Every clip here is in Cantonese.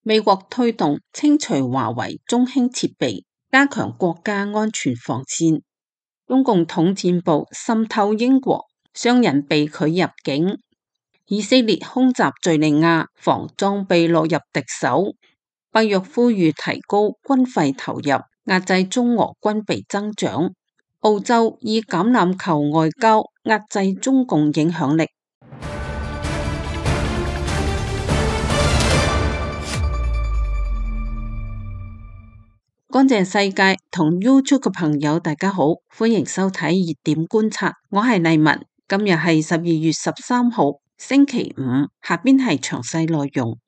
美國推動清除華為中興設備，加強國家安全防線。中共統戰部滲透英國，商人被拒入境。以色列空襲敘利亞，防裝備落入敵手。北約呼籲提高軍費投入，壓制中俄軍備增長。澳洲以橄欖球外交壓制中共影響力。乾淨世界同 YouTube 嘅朋友大家好，歡迎收睇熱點觀察，我係麗文。今日係12月13號星期五，下邊係詳細內容。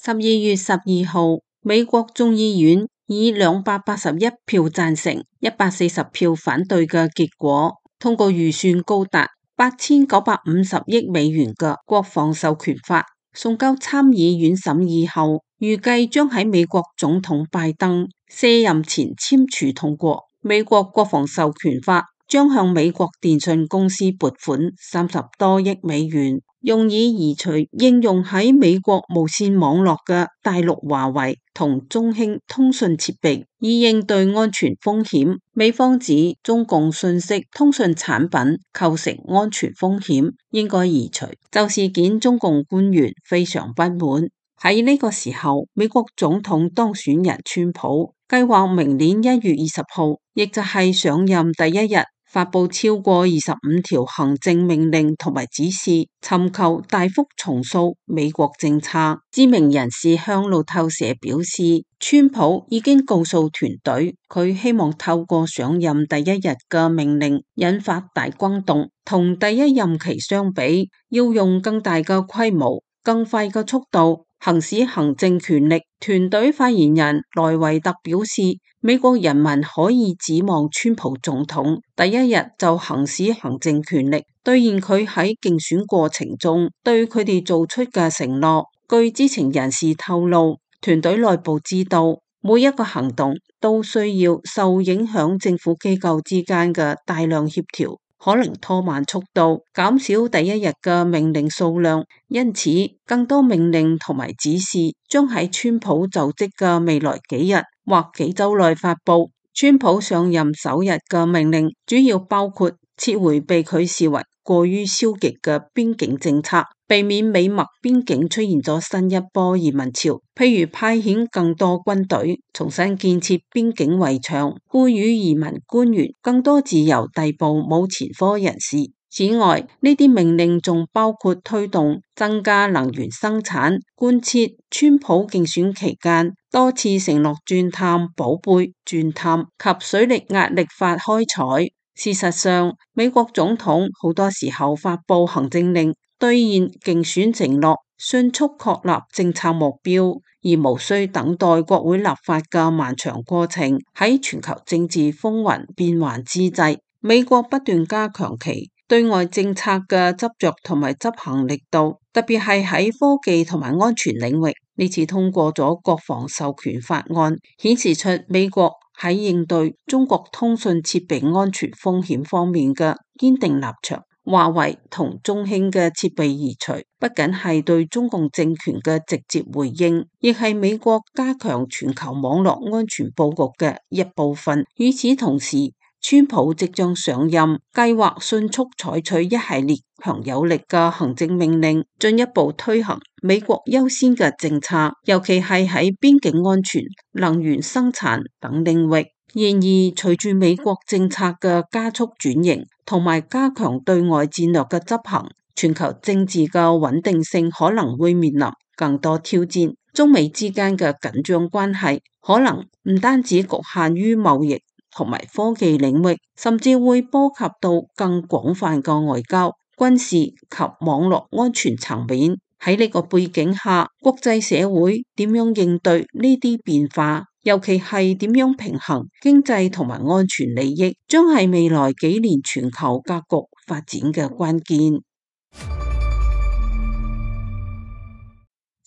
12月12號，美國眾議院以281票贊成、140票反對嘅結果，通過預算高達8950億美元嘅國防授權法，送交參議院審議後，預計將喺美國總統拜登卸任前簽署通過。美國國防授權法將向美國電信公司撥款30多億美元，用以移除應用喺美國無線網絡嘅大陸華為同中興通訊設備，以應對安全風險。美方指中共信息通訊產品構成安全風險，應該移除。就事件，中共官員非常不滿。喺呢個時候，美國總統當選人川普計劃明年1月20號，亦就係上任第一日，發佈超過25條行政命令同埋指示，尋求大幅重塑美國政策。知名人士向路透社表示，川普已經告訴團隊，佢希望透過上任第一日嘅命令引發大轟動，同第一任期相比，要用更大嘅規模、更快嘅速度行使行政權力。團隊發言人萊維特表示，美國人民可以指望川普總統第一日就行使行政權力，兌現佢喺競選過程中對佢哋做出嘅承諾。據知情人士透露，團隊內部知道每一個行動都需要受影響政府機構之間嘅大量協調，可能拖慢速度，減少第一日嘅命令數量，因此更多命令同埋指示將喺川普就職嘅未來幾日或幾週內發佈。川普上任首日嘅命令主要包括撤回被佢視為過於消極嘅邊境政策，避免美墨邊境出現咗新一波移民潮，譬如派遣更多軍隊，重新建設邊境圍牆，賦予移民官員更多自由逮捕冇前科人士。此外，呢啲命令仲包括推動增加能源生產，貫徹川普競選期間多次承諾鑽探寶貝鑽探及水力壓力法開採。事實上，美國總統好多時候發佈行政令，兌現競選承諾，迅速確立政策目標，而無需等待國會立法嘅漫長過程。喺全球政治風雲變幻之際，美國不斷加強其對外政策嘅執着同埋執行力度，特別係喺科技同埋安全領域。呢次通過咗國防授權法案，顯示出美國喺應對中國通訊設備安全風險方面嘅堅定立場。華為同中興嘅設備移除，不僅係對中共政權嘅直接回應，亦係美國加強全球網絡安全佈局嘅一部分。與此同時，川普即將上任，計劃迅速採取一系列強有力嘅行政命令，進一步推行美國優先嘅政策，尤其係喺邊境安全、能源生產等領域。然而，隨住美國政策嘅加速轉型，同埋加強對外戰略嘅執行，全球政治嘅穩定性可能會面臨更多挑戰。中美之間嘅緊張關係可能唔單止局限於貿易同埋科技領域，甚至會波及到更廣泛嘅外交、軍事及網絡安全層面。喺呢個背景下，國際社會點樣應對呢啲變化，尤其係點樣平衡經濟同埋安全利益，將係未來幾年全球格局發展嘅關鍵。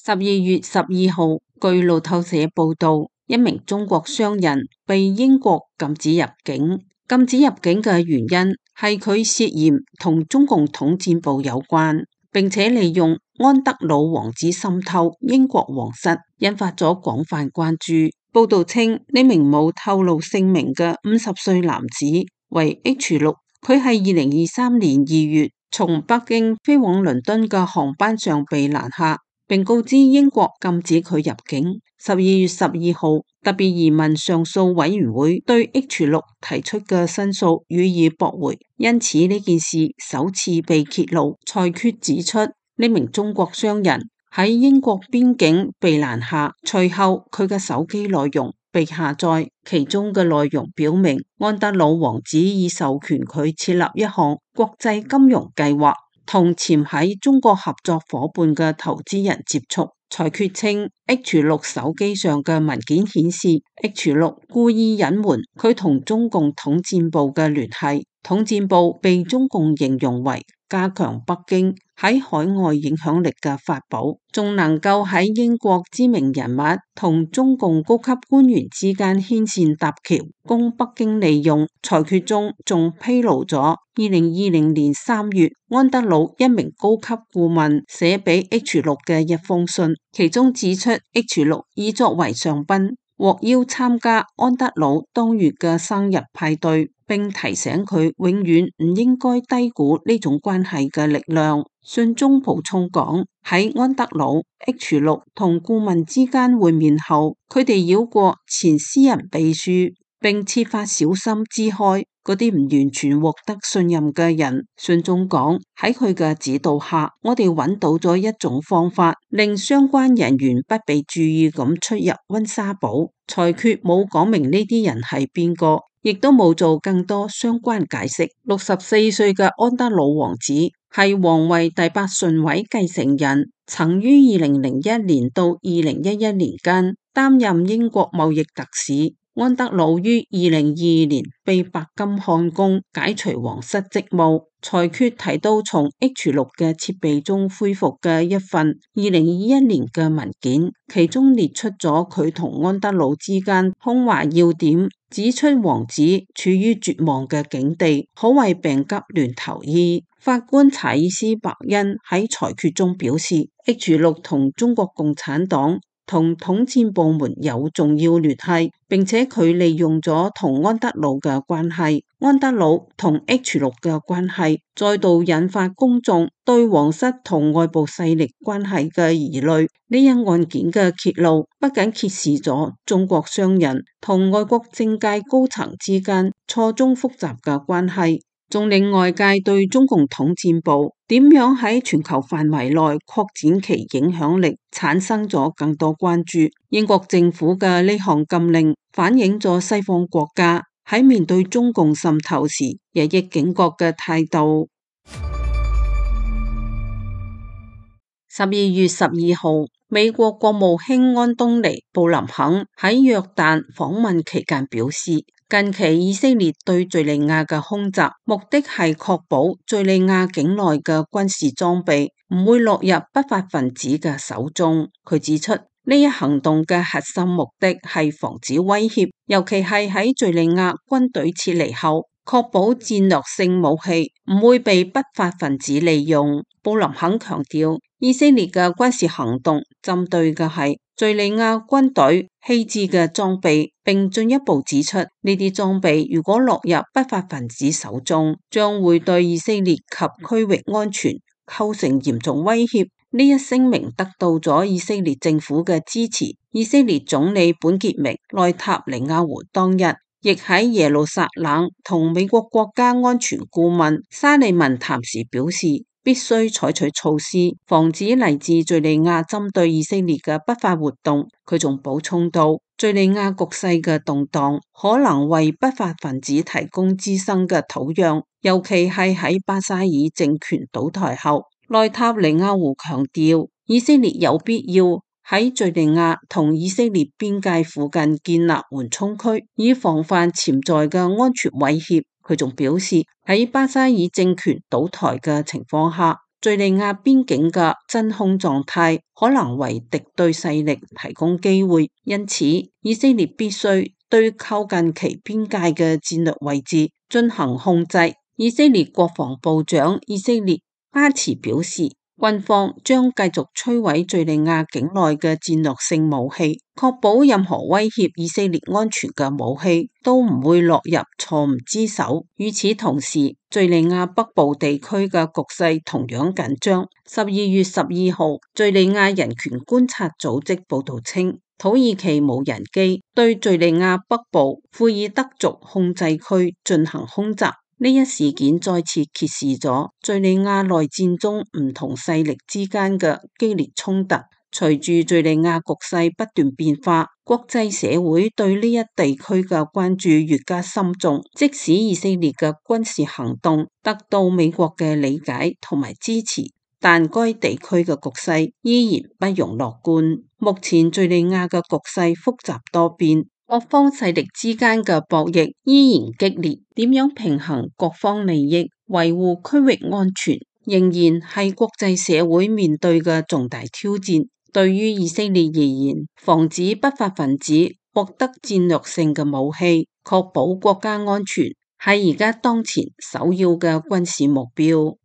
12月12號，據路透社報道，一名中國商人被英國禁止入境。禁止入境嘅原因係佢涉嫌同中共統戰部有關，並且利用安德魯王子滲透英國皇室，引發咗廣泛關注。報道稱，呢名冇透露姓名嘅50歲男子為 H6，佢喺2023年2月從北京飛往倫敦嘅航班上被攔下，並告知英國禁止佢入境。12月12號，特別移民上訴委員會對 H6 提出嘅申訴予以駁回，因此呢件事首次被揭露。裁決指出，呢名中國商人喺英國邊境被攔下，隨後佢嘅手機內容被下載，其中嘅內容表明安德魯王子已授權佢設立一項國際金融計劃，同潛喺中國合作夥伴嘅投資人接觸。裁決稱 H6 手機上嘅文件顯示 H6 故意隱瞞佢同中共統戰部嘅聯繫，統戰部被中共形容為加強北京喺海外影響力嘅法寶，仲能夠喺英國知名人物同中共高級官員之間牽線搭橋，供北京利用。裁決中仲披露咗2020年3月安德魯一名高級顧問寫俾 H6 嘅一封信，其中指出 H6 已作為上賓獲邀參加安德魯當月嘅生日派對，並提醒佢永遠唔應該低估呢種關係嘅力量。信中補充講，喺安德魯 H6 同顧問之間會面後，佢哋繞過前私人秘書，並設法小心支開嗰啲唔完全獲得信任嘅人。信中講，喺佢嘅指導下，我哋揾到咗一種方法，令相關人員不被注意咁出入溫莎堡。裁決冇講明呢啲人係邊個，亦都冇做更多相關解釋。64歲嘅安德魯王子係皇位第8順位繼承人，曾於2001年到2011年間擔任英國貿易特使。安德魯於2022年被白金漢宮解除皇室職務。裁決提到從 H6 嘅設備中恢復嘅一份2021年嘅文件，其中列出咗佢同安德魯之間通話要點，指出王子處於絕望嘅境地，可謂病急亂投醫。法官查爾斯·伯恩喺裁決中表示 ，H6 同中國共產黨同統戰部門有重要聯繫，並且佢利用咗同安德魯嘅關係，安德魯同 H6 嘅關係再度引發公眾對皇室同外部勢力關係嘅疑慮。呢一案件嘅揭露不僅揭示咗中國商人同外國政界高層之間錯綜複雜嘅關係，仲令外界對中共統戰部點樣喺全球範圍內擴展其影響力產生咗更多關注。英國政府嘅呢項禁令反映咗西方國家喺面對中共滲透時日益警覺嘅態度。12月12號，美國國務卿安東尼布林肯喺約旦訪問期間表示，近期以色列對敘利亞嘅空襲，目的係確保敘利亞境內嘅軍事裝備唔會落入不法分子嘅手中。佢指出，呢一行動嘅核心目的係防止威脅，尤其係喺敘利亞軍隊撤離後，確保戰略性武器唔會被不法分子利用。布林肯強調，以色列嘅軍事行動針對嘅係敘利亞軍隊棄置嘅裝備，並進一步指出，呢啲裝備如果落入不法分子手中，將會對以色列及區域安全構成嚴重威脅。呢一聲明得到咗以色列政府嘅支持。以色列總理本傑明內塔尼亞胡當日亦喺耶路撒冷同美國國家安全顧問沙利文談時表示，必須採取措施，防止嚟自敘利亞針對以色列嘅不法活動。佢仲補充到，敘利亞局勢嘅動盪可能為不法分子提供滋生嘅土壤，尤其係喺巴沙爾政權倒台後。內塔尼亞胡強調，以色列有必要喺敘利亞同以色列邊界附近建立緩衝區，以防範潛在嘅安全威脅。佢仲表示，喺巴沙爾政權倒台嘅情況下，敘利亞邊境嘅真空狀態可能為敵對勢力提供機會，因此以色列必須對靠近其邊界嘅戰略位置進行控制。以色列國防部長以色列巴茨表示，軍方將繼續摧毀敘利亞境內嘅戰略性武器，確保任何威脅以色列安全嘅武器都唔會落入錯誤之手。與此同時，敘利亞北部地區嘅局勢同樣緊張。12月12號，敘利亞人權觀察組織報道稱，土耳其無人機對敘利亞北部庫爾德族控制區進行空襲。呢一事件再次揭示咗敘利亞內戰中唔同勢力之間嘅激烈衝突。隨住敘利亞局勢不斷變化，國際社會對呢一地區嘅關注越加深重。即使以色列嘅軍事行動得到美國嘅理解同埋支持，但該地區嘅局勢依然不容樂觀。目前敘利亞嘅局勢複雜多變，各方勢力之間嘅博弈依然激烈，點樣平衡各方利益，維護區域安全，仍然係國際社會面對嘅重大挑戰。對於以色列而言，防止不法分子獲得戰略性嘅武器，確保國家安全，係而家當前首要嘅軍事目標。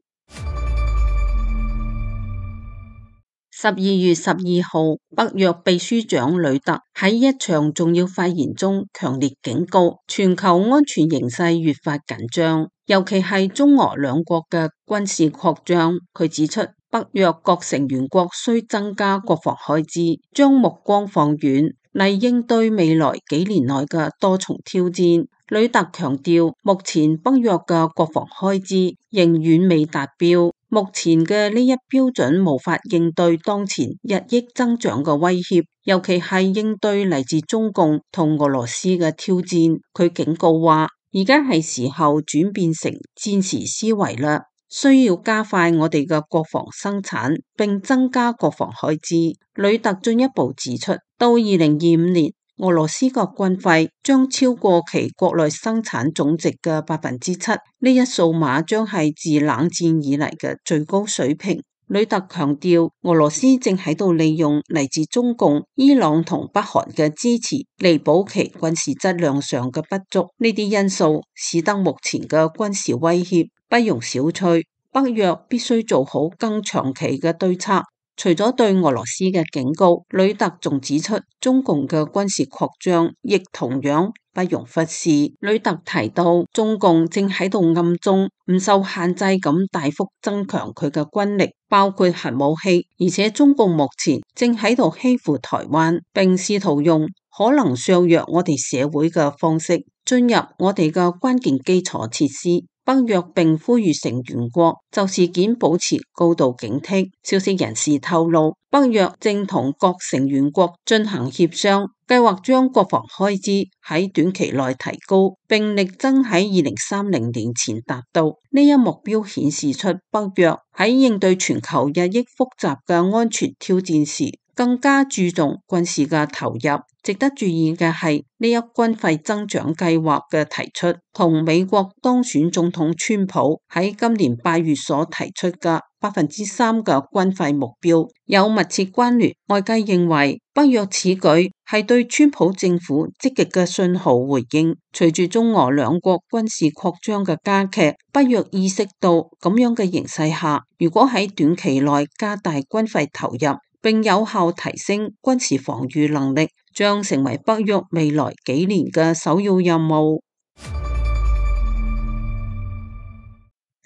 12月12號，北約秘書長呂特喺一場重要發言中強烈警告，全球安全形勢越發緊張，尤其係中俄兩國嘅軍事擴張。佢指出，北約各成員國需增加國防開支，將目光放遠嚟應對未來幾年內嘅多重挑戰。呂特強調，目前北約嘅國防開支仍遠未達標。目前嘅呢一標準無法應對當前日益增長嘅威脅，尤其係應對嚟自中共同俄羅斯嘅挑戰。佢警告話，而家係時候轉變成戰時思維啦，需要加快我哋嘅國防生產，並增加國防開支。呂特進一步指出，到2025年，俄羅斯嘅軍費將超過其國內生產總值嘅7%，呢一數碼將係自冷戰以嚟嘅最高水平。呂特強調，俄羅斯正喺度利用嚟自中共、伊朗同北韓嘅支持，彌補其軍事質量上嘅不足。呢啲因素使得目前嘅軍事威脅不容小覷，北約必須做好更長期嘅對策。除咗對俄羅斯嘅警告，呂特仲指出，中共嘅軍事擴張亦同樣不容忽視。呂特提到，中共正喺度暗中唔受限制咁大幅增強佢嘅軍力，包括核武器，而且中共目前正喺度欺負台灣，並試圖用可能削弱我哋社會嘅方式進入我哋嘅關鍵基礎設施。北約並呼籲成員國就事件保持高度警惕。消息人士透露，北約正同各成員國進行協商，計劃將國防開支喺短期內提高，並力爭喺2030年前達到。呢一目標顯示出北約喺應對全球日益複雜嘅安全挑戰時，更加注重軍事嘅投入。值得注意嘅係，呢一軍費增長計劃嘅提出，同美國當選總統川普喺今年8月所提出嘅3%嘅軍費目標有密切關聯。外界認為，北約此舉係對川普政府積極嘅信號回應。隨住中俄兩國軍事擴張嘅加劇，北約意識到咁樣嘅形勢下，如果喺短期內加大軍費投入，並有效提升軍事防禦能力，將成為北約未來幾年嘅首要任務。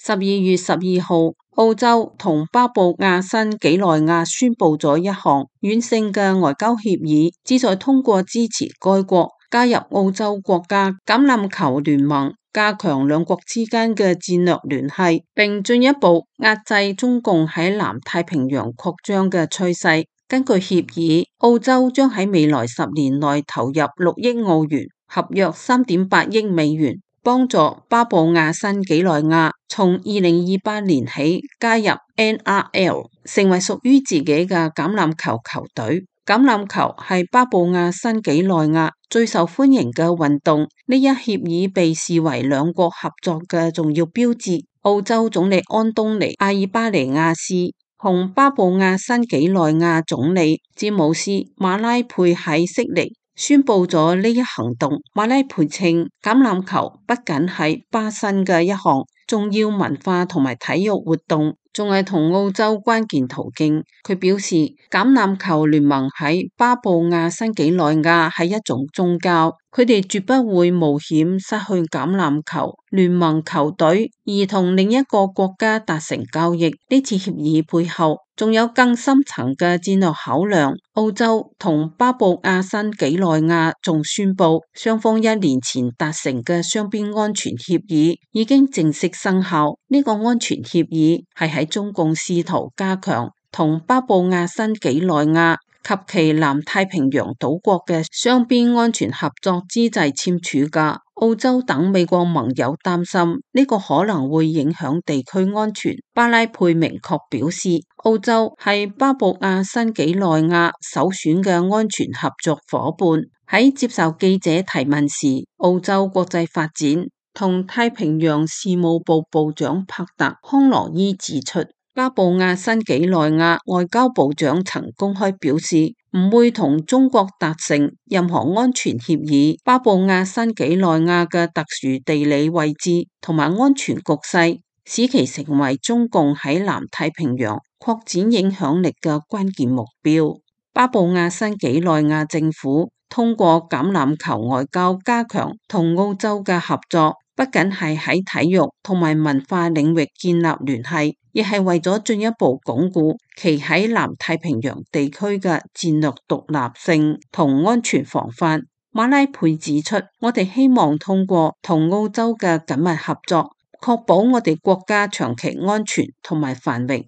12月12號，澳洲同巴布亞新幾內亞宣布咗一項軟性嘅外交協議，旨在通過支持該國加入澳洲國家橄欖球聯盟，加強兩國之間嘅戰略聯繫，並進一步壓制中共喺南太平洋擴張嘅趨勢。根據協議，澳洲將喺未來10年內投入6億澳元，合約3.8億美元，幫助巴布亞新幾內亞從2028年起加入 NRL， 成為屬於自己嘅橄欖球球隊。橄欖球係巴布亞新幾內亞最受歡迎嘅運動，呢一協議被視為兩國合作嘅重要標誌。澳洲總理安東尼阿爾巴尼亞斯同巴布亞新幾內亞總理詹姆斯馬拉佩喺悉尼宣布咗呢一行動。馬拉佩稱，橄欖球不僅係巴新嘅一項重要文化同埋體育活動，仲係同澳洲關鍵途徑。佢表示，橄欖球聯盟喺巴布亞新幾內亞係一種宗教，佢哋絕不會冒險失去橄欖球聯盟球隊，而同另一個國家達成交易。呢次協議背後仲有更深層嘅戰略考量。澳洲同巴布亞新幾內亞仲宣布，雙方1年前達成嘅雙邊安全協議已經正式生效。呢個安全協議係喺中共試圖加強同巴布亞新幾內亞及其南太平洋島國嘅雙邊安全合作之際簽署㗎。澳洲等美國盟友擔心呢個可能會影響地區安全。巴拉佩明確表示，澳洲係巴布亞新幾內亞首選嘅安全合作夥伴。喺接受記者提問時，澳洲國際發展同太平洋事務部部長帕特康羅伊指出，巴布亞新幾內亞外交部長曾公開表示，唔會同中國達成任何安全協議。巴布亞新幾內亞嘅特殊地理位置同埋安全局勢，使其成為中共喺南太平洋擴展影響力嘅關鍵目標。巴布亞新幾內亞政府通過橄欖球外交加強同澳洲嘅合作，不僅係喺體育同埋文化領域建立聯繫，亦係為咗進一步鞏固其喺南太平洋地區嘅戰略獨立性同安全防範。馬拉佩指出，我哋希望通過同澳洲嘅緊密合作，確保我哋國家長期安全同埋繁榮。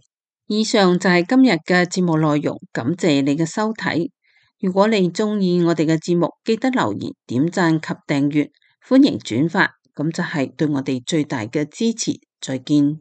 以上就係今日嘅節目內容，感謝你嘅收睇。如果你中意我哋嘅節目，記得留言、點讚及訂閱，歡迎轉發，咁就係對我哋最大嘅支持。再見。